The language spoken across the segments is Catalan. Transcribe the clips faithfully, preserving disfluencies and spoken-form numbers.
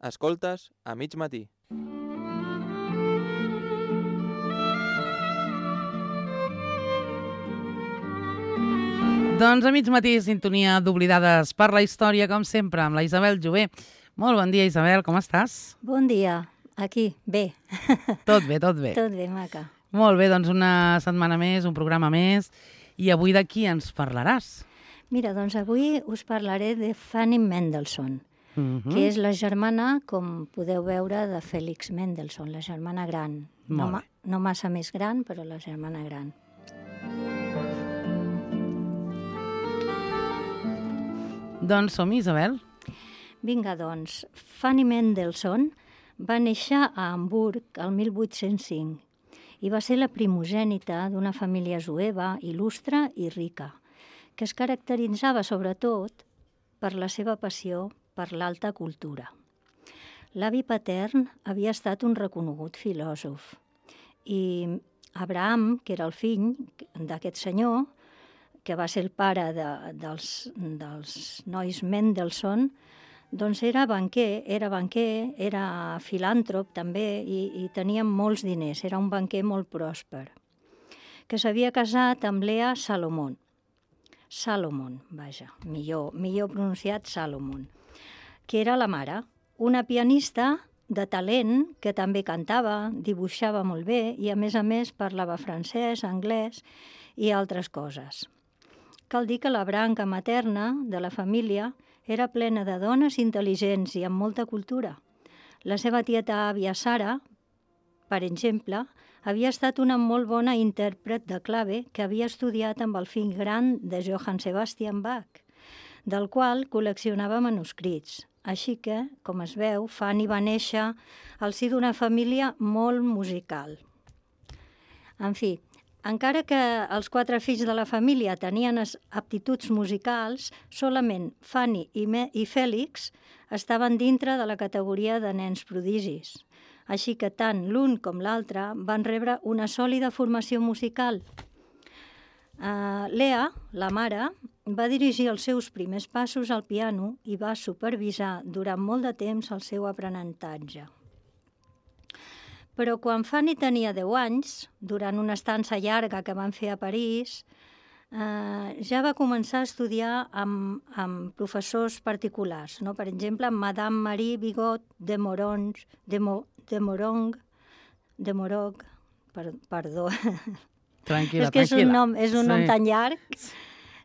Escoltes a mig matí. Doncs a mig matí, sintonia d'Oblidades per la història, com sempre, amb la Isabel Jové. Molt bon dia, Isabel, com estàs? Bon dia, aquí, bé. Tot bé, tot bé. Tot bé, maca. Molt bé, doncs una setmana més, un programa més. I avui de qui ens parlaràs? Mira, doncs avui us parlaré de Fanny Mendelssohn, Mm-hmm. que és la germana, com podeu veure, de Félix Mendelssohn, la germana gran. No, Molt ma no massa més gran, però la germana gran. Doncs som-hi, Isabel. Vinga, doncs, Fanny Mendelssohn va néixer a Hamburg el mil vuit-cents cinc i va ser la primogènita d'una família jueva il·lustre i rica, que es caracteritzava sobretot per la seva passió per l'alta cultura. L'avi patern havia estat un reconegut filòsof i Abraham, que era el fill d'aquest senyor, que va ser el pare de, dels, dels nois Mendelssohn, doncs era banquer, era banquer, era filàntrop també i, i tenia molts diners, era un banquer molt pròsper, que s'havia casat amb Lea Salomon. Salomon, vaja, millor, millor pronunciat Salomon, que era la mare, una pianista de talent que també cantava, dibuixava molt bé i a més a més parlava francès, anglès i altres coses. Cal dir que la branca materna de la família era plena de dones intel·ligents i amb molta cultura. La seva tieta àvia Sara, per exemple, havia estat una molt bona intèrpret de clave que havia estudiat amb el fill gran de Johann Sebastian Bach, del qual col·leccionava manuscrits. Així que, com es veu, Fanny va néixer al si d'una família molt musical. En fi, encara que els quatre fills de la família tenien aptituds musicals, solament Fanny i, Me i Fèlix estaven dintre de la categoria de nens prodigis. Així que tant l'un com l'altre van rebre una sòlida formació musical. Uh, Lea, la mare, va dirigir els seus primers passos al piano i va supervisar durant molt de temps el seu aprenentatge. Però quan Fanny tenia deu anys, durant una estança llarga que van fer a París, eh, ja va començar a estudiar amb, amb professors particulars, no? Per exemple, Madame Marie Bigot de Moronge, de, Mo, de Morong, de Morog, per, perdó. Tranquil·la, és que tranquil·la. És un nom, és un sí. nom tan llarg,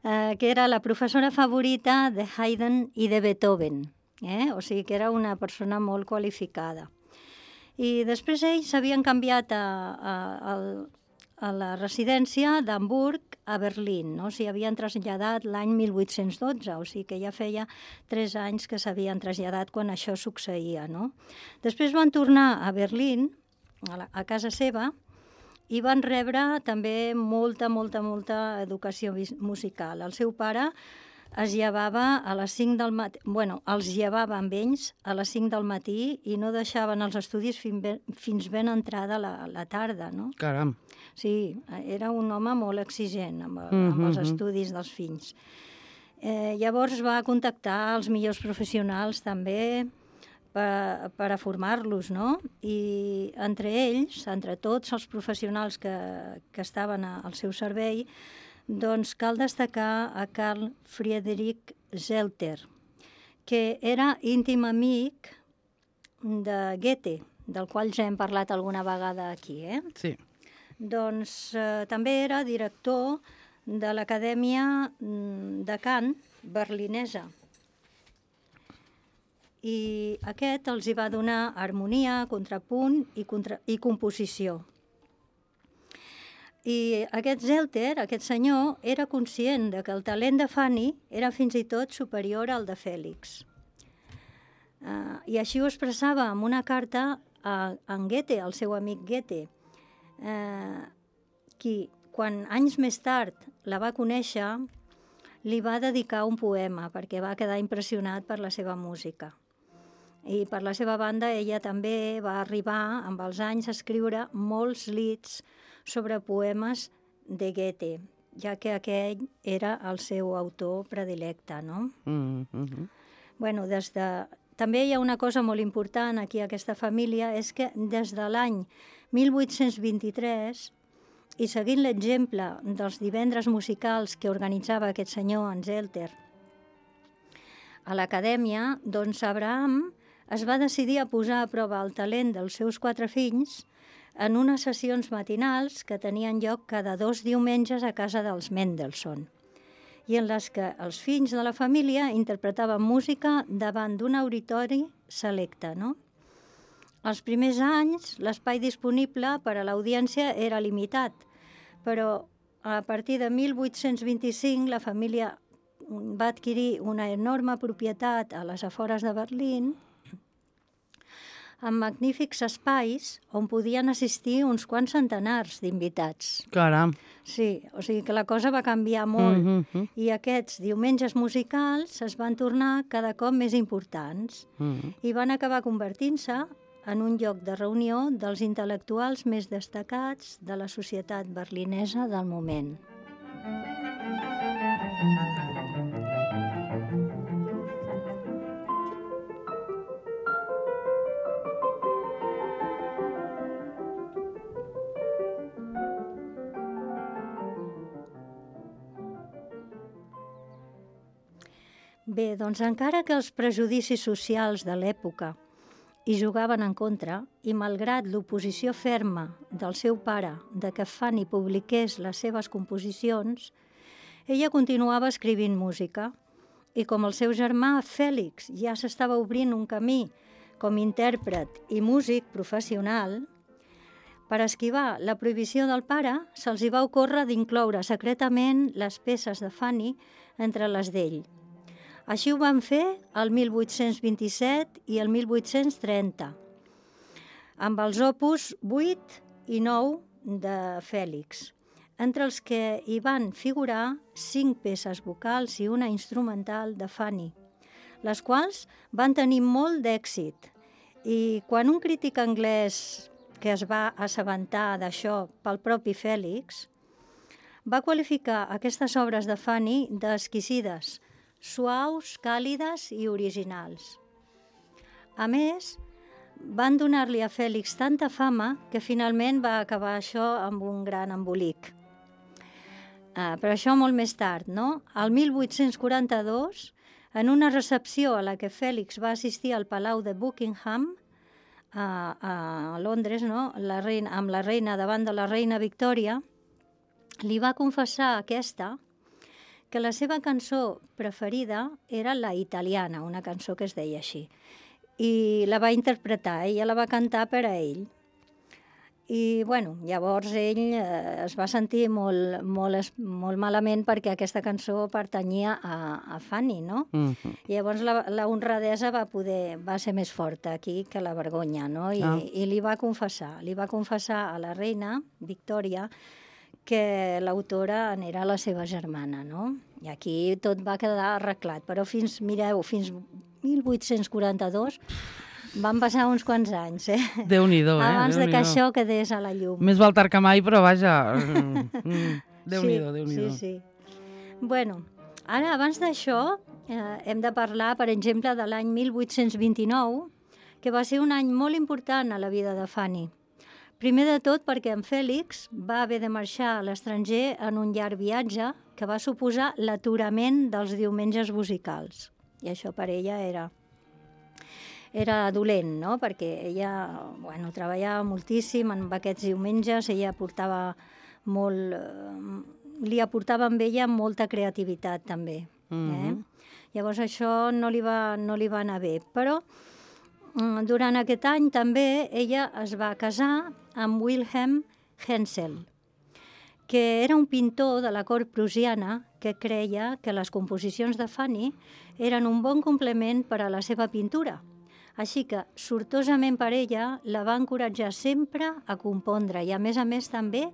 eh, que era la professora favorita de Haydn i de Beethoven, eh? O sigui que era una persona molt qualificada. I després ells s'havien canviat a, a, a, a la residència d'Hamburg a Berlín, no? S'hi havien traslladat l'any mil vuit-cents dotze, o sigui que ja feia tres anys que s'havien traslladat quan això succeïa, no? Després van tornar a Berlín, a, la, a casa seva, i van rebre també molta, molta, molta educació musical. El seu pare es llevava a les cinc del matí, bueno, els llevava amb ells a les cinc del matí i no deixaven els estudis fins ben, fins ben entrada la, la tarda, no? Caram. Sí, era un home molt exigent amb, el, Mm-hmm. amb els estudis dels fills. Eh, llavors va contactar els millors professionals també per, per a formar-los, no? I entre ells, entre tots els professionals que, que estaven al seu servei, doncs cal destacar a Carl Friedrich Zelter, que era íntim amic de Goethe, del qual ja hem parlat alguna vegada aquí, eh? Sí. Doncs eh, també era director de l'Acadèmia de Cant berlinesa. I aquest els hi va donar harmonia, contrapunt i, contra i composició. I aquest Zelter, aquest senyor, era conscient de que el talent de Fanny era fins i tot superior al de Fèlix. Uh, I així ho expressava amb una carta a en Goethe, al seu amic Goethe, uh, qui, quan anys més tard la va conèixer, li va dedicar un poema perquè va quedar impressionat per la seva música. I per la seva banda ella també va arribar amb els anys a escriure molts lieds sobre poemes de Goethe, ja que aquell era el seu autor predilecte, no? Mm-hmm. Bueno, des de també hi ha una cosa molt important aquí a aquesta família, és que des de l'any mil vuit-cents vint-i-tres, i seguint l'exemple dels divendres musicals que organitzava aquest senyor, en Zelter, a l'acadèmia, doncs Abraham es va decidir a posar a prova el talent dels seus quatre fills en unes sessions matinals que tenien lloc cada dos diumenges a casa dels Mendelssohn, i en les que els fills de la família interpretaven música davant d'un auditori selecte, no? Els primers anys, l'espai disponible per a l'audiència era limitat, però a partir de mil vuit-cents vint-i-cinc la família va adquirir una enorme propietat a les afores de Berlín, amb magnífics espais on podien assistir uns quants centenars d'invitats. Caram. Sí, o sigui que la cosa va canviar molt, Mm -hmm. i aquests diumenges musicals es van tornar cada cop més importants Mm -hmm. i van acabar convertint-se en un lloc de reunió dels intel·lectuals més destacats de la societat berlinesa del moment. Bé, doncs encara que els prejudicis socials de l'època hi jugaven en contra, i malgrat l'oposició ferma del seu pare de que Fanny publiqués les seves composicions, ella continuava escrivint música, i com el seu germà Fèlix ja s'estava obrint un camí com intèrpret i músic professional, per esquivar la prohibició del pare, se'ls hi va ocórrer d'incloure secretament les peces de Fanny entre les d'ell. Així ho van fer el mil vuit-cents vint-i-set i el mil vuit-cents trenta, amb els opus vuit i nou de Fèlix, entre els que hi van figurar cinc peces vocals i una instrumental de Fanny, les quals van tenir molt d'èxit. I quan un crític anglès que es va assabentar d'això pel propi Fèlix va qualificar aquestes obres de Fanny d'exquisides, suaus, càlides i originals. A més, van donar-li a Fèlix tanta fama que finalment va acabar això amb un gran embolic. Uh, però això molt més tard, no? El mil vuit-cents quaranta-dos, en una recepció a la que Fèlix va assistir al Palau de Buckingham, a, a Londres, no? la reina, amb la reina davant de la reina Victòria, li va confessar a aquesta que la seva cançó preferida era la italiana, una cançó que es deia així. I la va interpretar, ella la va cantar per a ell. I, bueno, llavors ell eh, es va sentir molt, molt, molt malament perquè aquesta cançó pertanyia a, a Fanny, no? Mm -hmm. Llavors la, la honradesa va, poder, va ser més forta aquí que la vergonya, no? I, Ah. i li va confessar, li va confessar a la reina Victòria que l'autora n'era la seva germana, no? I aquí tot va quedar arreglat, però fins, mireu, fins mil vuit-cents quaranta-dos van passar uns quants anys, eh? Déu-n'hi-do, eh? Abans de que Déu-n'hi-do. això quedés a la llum. Més val tard que mai, però vaja... Mm, Déu-n'hi-do, sí, Déu-n'hi-do. Sí, sí. Bueno, ara, abans d'això, eh, hem de parlar, per exemple, de l'any mil vuit-cents vint-i-nou, que va ser un any molt important a la vida de Fanny. Primer de tot perquè en Fèlix va haver de marxar a l'estranger en un llarg viatge que va suposar l'aturament dels diumenges musicals. I això per ella era, era dolent, no? Perquè ella, bueno, treballava moltíssim en aquests diumenges, ella portava molt, eh, li aportava amb ella molta creativitat també. Eh? Mhm. Llavors això no li va, no li va anar bé, però durant aquest any també ella es va casar amb Wilhelm Hensel, que era un pintor de la cort prussiana que creia que les composicions de Fanny eren un bon complement per a la seva pintura. Així que, sortosament per ella, la va encoratjar sempre a compondre i, a més a més, també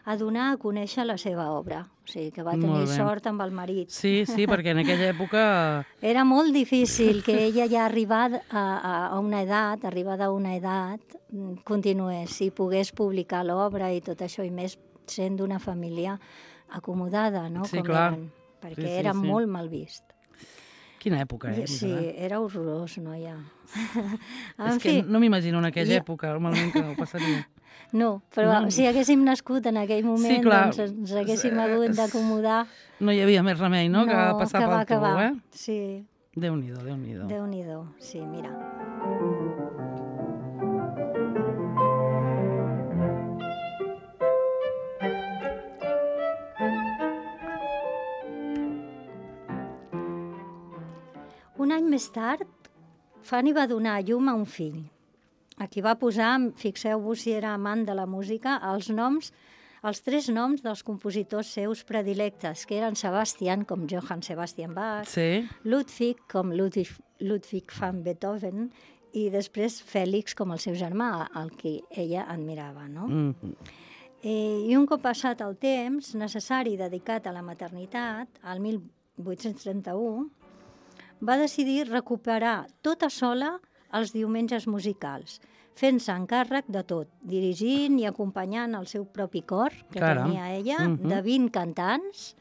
a donar a conèixer la seva obra. O sigui, que va tenir Molt bé. sort amb el marit. Sí, sí, perquè en aquella època... Era molt difícil que ella ja arribada a, a una edat, arribada a una edat, continués i pogués publicar l'obra i tot això, i més sent d'una família acomodada, no? Sí, Com clar. eren, perquè Sí, sí, era sí. molt mal vist. Quina època, eh? Sí, era horrorós, noia. És que no m'imagino en aquella època, normalment, que ho passaria. No, però No. si haguéssim nascut en aquell moment, Sí, clar. doncs ens haguéssim hagut d'acomodar. No hi havia més remei, no?, que passar que va, pel que tubo, va. eh? Sí, Déu-n'hi-do, Déu-n'hi-do. Déu-n'hi-do. Sí, mira. Un any més tard, Fanny va donar a llum a un fill, a qui va posar, fixeu-vos si era amant de la música, els noms, els tres noms dels compositors seus predilectes, que eren Sebastian, com Johann Sebastian Bach, Sí. Ludwig, com Ludwig, Ludwig van Beethoven, i després Fèlix, com el seu germà, el que ella admirava, no? Mm. Eh, I un cop passat el temps necessari dedicat a la maternitat, al mil vuit-cents trenta-u, va decidir recuperar tota sola els diumenges musicals, fent-se encàrrec de tot, dirigint i acompanyant el seu propi cor, que Caram. tenia ella, Mhm. de vint cantants.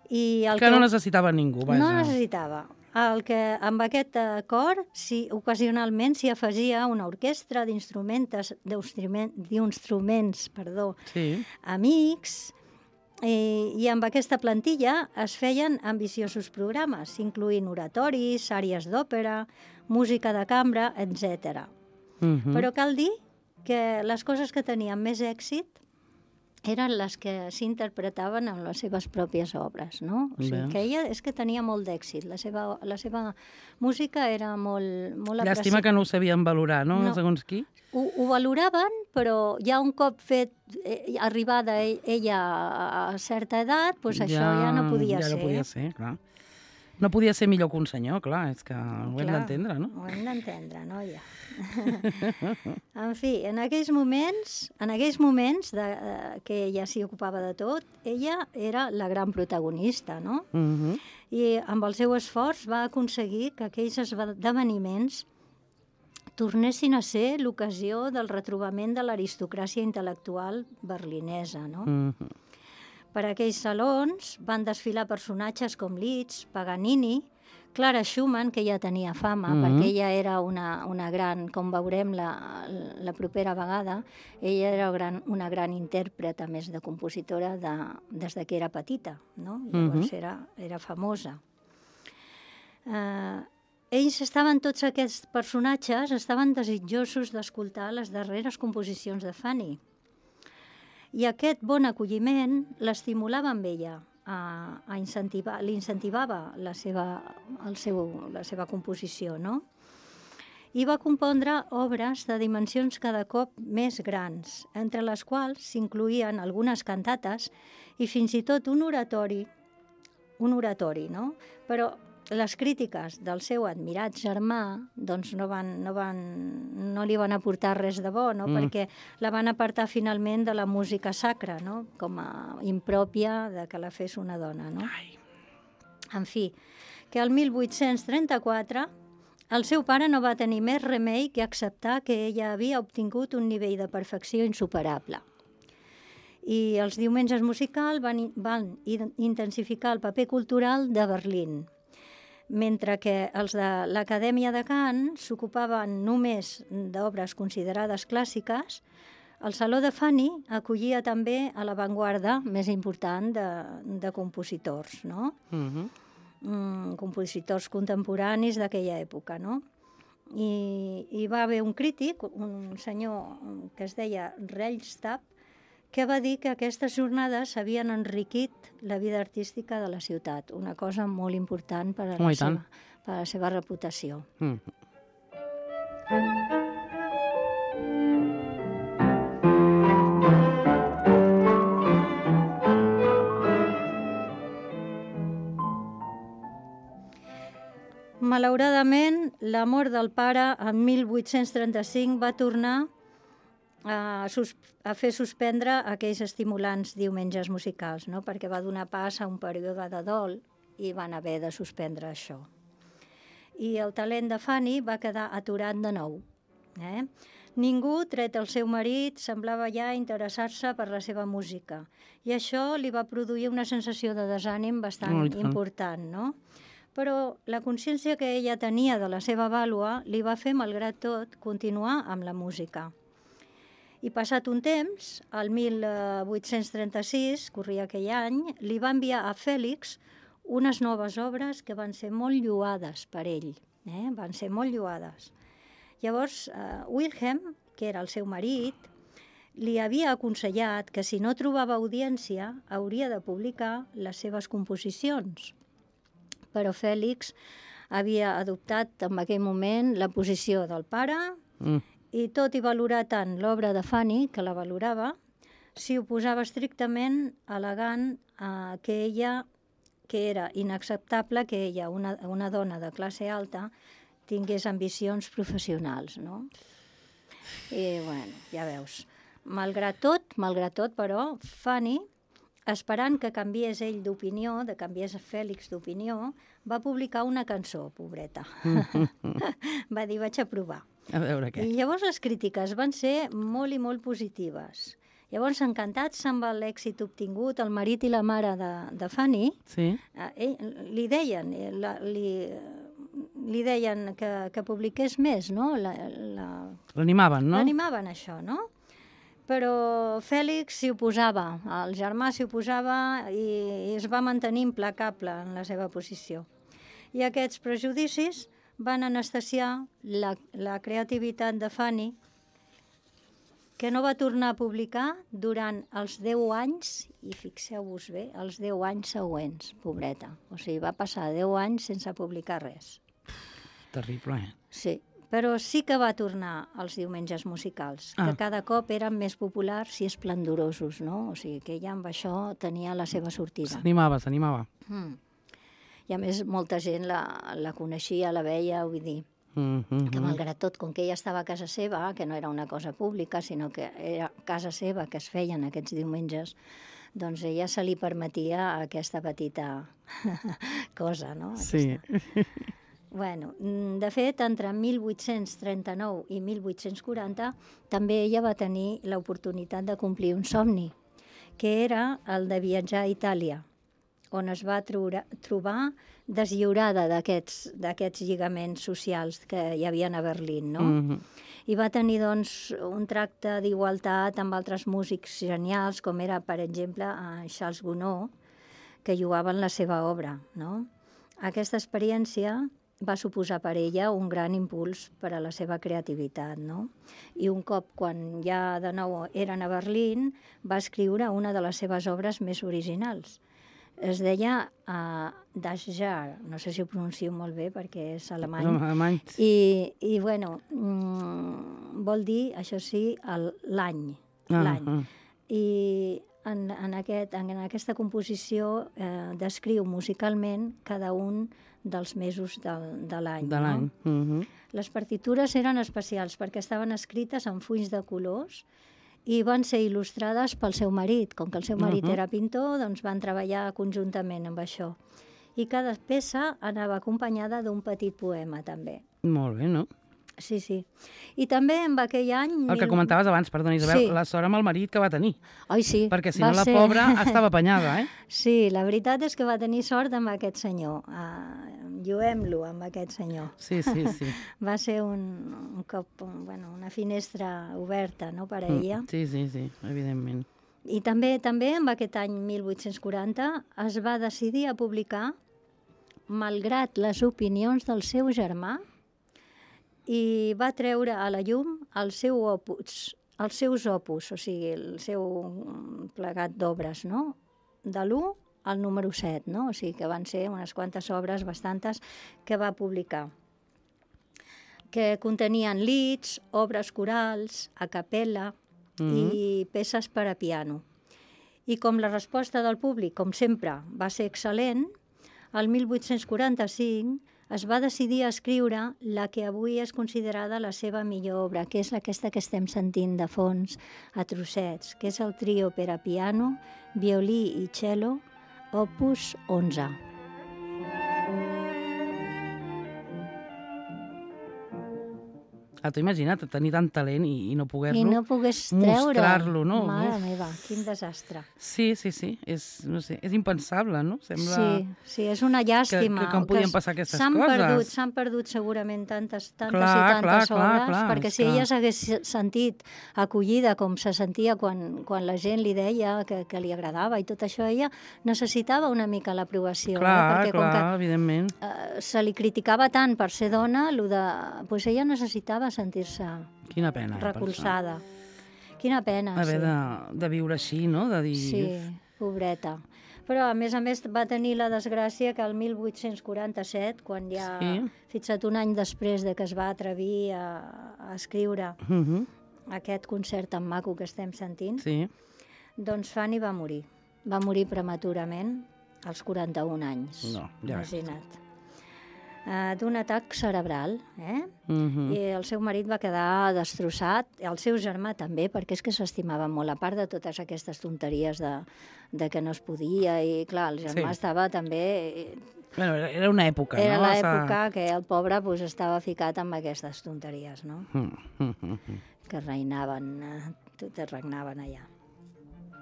I el Que no necessitava ningú, vaja. No necessitava. El que, amb aquest eh, cor, si, ocasionalment s'hi afegia una orquestra d'instruments d'instrument- d'instruments, perdó, Sí. amics, eh, i amb aquesta plantilla es feien ambiciosos programes, incloent oratoris, àries d'òpera, música de cambra, etcètera. Mhm. Però cal dir que les coses que tenien més èxit eren les que s'interpretaven en les seves pròpies obres, no? O sigui, Bé. que ella és que tenia molt d'èxit, la seva, la seva música era molt, molt Llàstima apreciada. que no ho sabien valorar, no? No. Segons qui. Ho, ho valoraven, però ja un cop fet, eh, arribada e- ella a, a certa edat, doncs això ja no podia ja ser. no podia ser, clar. No podia ser millor que un senyor, clar, és que ho hem Clar, d'entendre, no? Ho hem d'entendre, noia. En fi, en aquells moments, en aquells moments de, eh, que ella s'hi ocupava de tot, ella era la gran protagonista, no? Mhm. I amb el seu esforç va aconseguir que aquells esdeveniments tornessin a ser l'ocasió del retrobament de l'aristocràcia intel·lectual berlinesa, no? Mhm. Per aquells salons van desfilar personatges com Liszt, Paganini, Clara Schumann, que ja tenia fama, Mhm. perquè ella era una, una gran, com veurem la, la propera vegada, ella era gran, una gran intèrpreta, a més de compositora, de, des de que era petita, no? Llavors Mhm. era, era famosa. Eh, ells estaven, tots aquests personatges, estaven desitjosos d'escoltar les darreres composicions de Fanny. I aquest bon acolliment l'estimulava amb ella, a, a incentivar, l'incentivava la seva, el seu, la seva composició, no? I va compondre obres de dimensions cada cop més grans, entre les quals s'incloïen algunes cantates i fins i tot un oratori, un oratori, no? Però les crítiques del seu admirat germà doncs no, van, no, van, no li van aportar res de bo, no? Mm. Perquè la van apartar finalment de la música sacra, no? Com a impròpia de que la fes una dona, no? Ai. En fi, que el mil vuit-cents trenta-quatre el seu pare no va tenir més remei que acceptar que ella havia obtingut un nivell de perfecció insuperable. I els diumenges musicals van, van intensificar el paper cultural de Berlín, mentre que els de l'Acadèmia de Cant s'ocupaven només d'obres considerades clàssiques, el Saló de Fanny acollia també a l'avantguarda més important de, de compositors, no? Mhm. Mm, compositors contemporanis d'aquella època, no? I, I va haver un crític, un senyor que es deia Rellstab, que va dir que aquestes jornades havien enriquit la vida artística de la ciutat, una cosa molt important per a, Oh, la, i tant. seva, per a la seva reputació. Mhm. Malauradament, la mort del pare en mil vuit-cents trenta-cinc va tornar a, sus a fer suspendre aquells estimulants diumenges musicals, no? Perquè va donar pas a un període de dol i van haver de suspendre això. I el talent de Fanny va quedar aturat de nou. Eh? Ningú, tret el seu marit, semblava ja interessar-se per la seva música. I això li va produir una sensació de desànim bastant Oh, i tant. important, no? però la consciència que ella tenia de la seva vàlua li va fer, malgrat tot, continuar amb la música. I passat un temps, el mil vuit-cents trenta-sis, corria aquell any, li va enviar a Fèlix unes noves obres que van ser molt lloades per ell, eh? van ser molt lloades. Llavors, eh, Wilhelm, que era el seu marit, li havia aconsellat que si no trobava audiència hauria de publicar les seves composicions. Però Fèlix havia adoptat en aquell moment la posició del pare Mm. i tot i valorar tant l'obra de Fanny, que la valorava, s'hi oposava estrictament al·legant eh, que ella, que era inacceptable que ella, una, una dona de classe alta, tingués ambicions professionals, no? I, bueno, ja veus, malgrat tot, malgrat tot, però, Fanny, esperant que canviés ell d'opinió, de canviés Fèlix d'opinió, va publicar una cançó, pobreta. Va dir, vaig a provar. A veure què. I llavors les crítiques van ser molt i molt positives. Llavors, encantats amb l'èxit obtingut, el marit i la mare de, de Fanny, Sí? eh, ell, li deien, eh, la, li, li deien que, que publiqués més, no? La, la, L'animaven, no? L'animaven això, no? Però Fèlix s'hi oposava, el germà s'hi oposava i, i es va mantenir implacable en la seva posició. I aquests prejudicis van anestesiar la, la creativitat de Fanny, que no va tornar a publicar durant els deu anys, i fixeu-vos bé, els deu anys següents, pobreta. O sigui, va passar deu anys sense publicar res. Terrible, eh? Sí, però sí que va tornar als diumenges musicals, Ah. que cada cop eren més populars i esplendorosos, no? O sigui, que ella amb això tenia la seva sortida. S'animava, s'animava. Mm. I a més, molta gent la, la coneixia, la veia, vull dir, Mm -hmm. que malgrat tot, com que ella estava a casa seva, que no era una cosa pública, sinó que era casa seva que es feien aquests diumenges, doncs ella se li permetia aquesta petita cosa, no? Sí. Aquesta. Bueno, de fet, entre mil vuit-cents trenta-nou i mil vuit-cents quaranta també ella va tenir l'oportunitat de complir un somni, que era el de viatjar a Itàlia, on es va trobar, trobar deslliurada d'aquests d'aquests lligaments socials que hi havia a Berlín, no? Mm -hmm. I va tenir, doncs, un tracte d'igualtat amb altres músics genials, com era, per exemple, Charles Gounod, que jugaven la seva obra, no? Aquesta experiència va suposar per ella un gran impuls per a la seva creativitat, no? I un cop, quan ja de nou eren a Berlín, va escriure una de les seves obres més originals. Es deia uh, Das Jahr, no sé si ho pronuncio molt bé perquè és alemany. Alemany. I, i bueno, mm, vol dir, això sí, el- l'any. Ah, l'any. ah. I en, en, aquest, en aquesta composició eh, descriu musicalment cada un dels mesos del, de l'any. De l'any. No? Mm -hmm. Les partitures eren especials perquè estaven escrites en fulls de colors i van ser il·lustrades pel seu marit. Com que el seu marit Uh-huh. era pintor, doncs van treballar conjuntament amb això. I cada peça anava acompanyada d'un petit poema, també. Molt bé, no? Sí, sí. I també en aquell any... El que mil- comentaves abans, perdona, Isabel, Sí. la sort amb el marit que va tenir. Ai, sí. Perquè si va no la ser- pobra estava apanyada, eh? Sí, la veritat és que va tenir sort amb aquest senyor. Uh, lluem-lo amb aquest senyor. Sí, sí, sí. Va ser un, un cop, un, bueno, una finestra oberta, no?, per a ella. Mm, sí, sí, sí, evidentment. I també també en aquest any mil vuit-cents quaranta es va decidir a publicar, malgrat les opinions del seu germà, i va treure a la llum el seu opus, els seus opus, o sigui, el seu plegat d'obres, no?, de l'u al número set, no? O sigui que van ser unes quantes obres, bastantes, que va publicar, que contenien lieds, obres corals, a capella i peces per a piano. I com la resposta del públic, com sempre, va ser excel·lent, el mil vuit-cents quaranta-cinc es va decidir a escriure la que avui és considerada la seva millor obra, que és aquesta que estem sentint de fons a trossets, que és el trio per a piano, violí i cello, opus onze. Ah, t'ho imagina't, tenir tant talent i, i no poder-lo I no pogués treure. mostrar-lo, no? Mare Uf. meva, quin desastre. Sí, sí, sí, és, no sé, és impensable, no? Sembla Sí, sí, és una llàstima. que, que com podien passar aquestes s'han coses. Perdut, s'han perdut segurament tantes, tantes Clar, i tantes clar, clar, obres, clar, perquè és si que- ella s'hagués sentit acollida com se sentia quan, quan la gent li deia que, que li agradava i tot això, ella necessitava una mica l'aprovació. Clar, eh? Perquè clar, com que evidentment. eh, se li criticava tant per ser dona, lo de, pues ella necessitava sentir-se Quina pena. eh, per recolzada. Quina pena, això. Haver sí. de, de viure així, no? De dir... Sí, pobreta. Però, a més a més, va tenir la desgràcia que el mil vuit-cents quaranta-set, quan ja, Sí. fixa't, un any després de que es va atrevir a, a escriure Uh -huh. aquest concert tan maco que estem sentint, Sí. doncs Fanny va morir. Va morir prematurament als quaranta-un anys. No, ja ves. Imagina't. Uh, d'un atac cerebral, eh? Uh -huh. I el seu marit va quedar destrossat, el seu germà també, perquè és que s'estimava molt, a part de totes aquestes tonteries de, de que no es podia, i clar, el germà Sí. estava també... Bueno, era- era una època, Era no? l'època que el pobre pues, estava ficat amb aquestes tonteries, no? Uh -huh. Que reinaven, eh, totes regnaven allà.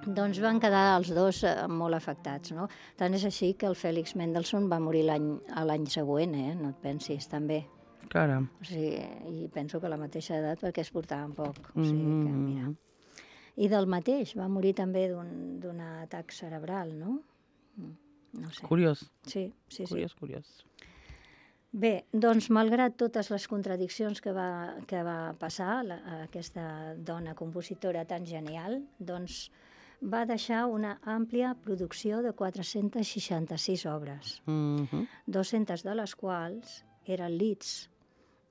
Doncs van quedar els dos eh, molt afectats, no? Tant és així que el Félix Mendelssohn va morir l'any a l'any següent, eh? No et pensis, també. Caram. O sigui, i penso que a la mateixa edat perquè es portaven poc. O sigui que, Mm. mira. I del mateix, va morir també d'un d'un atac cerebral, no? Mm, No sé. Curiós, Sí, sí, sí. curiós, curiós. Bé, doncs, malgrat totes les contradiccions que va, que va passar la, aquesta dona compositora tan genial, doncs va deixar una àmplia producció de quatre-centes seixanta-sis obres, Uh -huh. dues-centes de les quals eren leads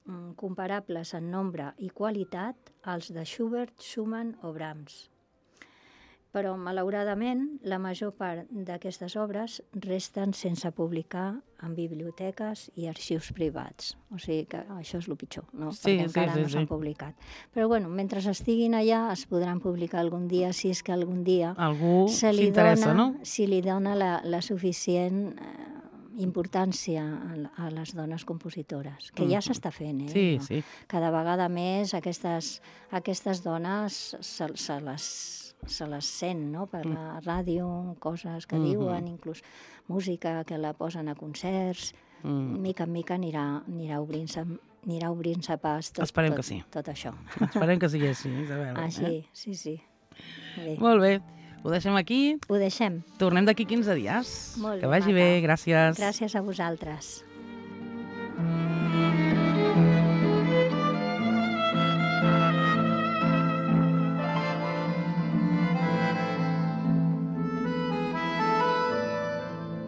mm, comparables en nombre i qualitat als de Schubert, Schumann o Brahms. Però, malauradament, la major part d'aquestes obres resten sense publicar en biblioteques i arxius privats. O sigui que això és el pitjor, no? Sí, Perquè sí, encara sí, no s'han sí. publicat. Però, bueno, mentre estiguin allà es podran publicar algun dia, si és que algun dia Algú se li s'interessa, dona, no? si li dona la, la suficient eh, importància a, a les dones compositores, que ja Mhm. s'està fent, eh? Sí, No? sí. Cada vegada més aquestes, aquestes dones se, se, les, se les sent, no?, per la ràdio, coses que Mhm. diuen, inclús música que la posen a concerts. Mm. Mica en mica anirà, anirà obrint-se anirà obrint-se pas tot, Esperem tot, que sí. tot això. Esperem que sigui així, Isabel. Així, Eh? sí, sí. Bé, Molt bé. Ho deixem aquí. ho deixem. Tornem d'aquí quinze dies. Molt que bé, vagi maca. bé. Gràcies. Gràcies a vosaltres.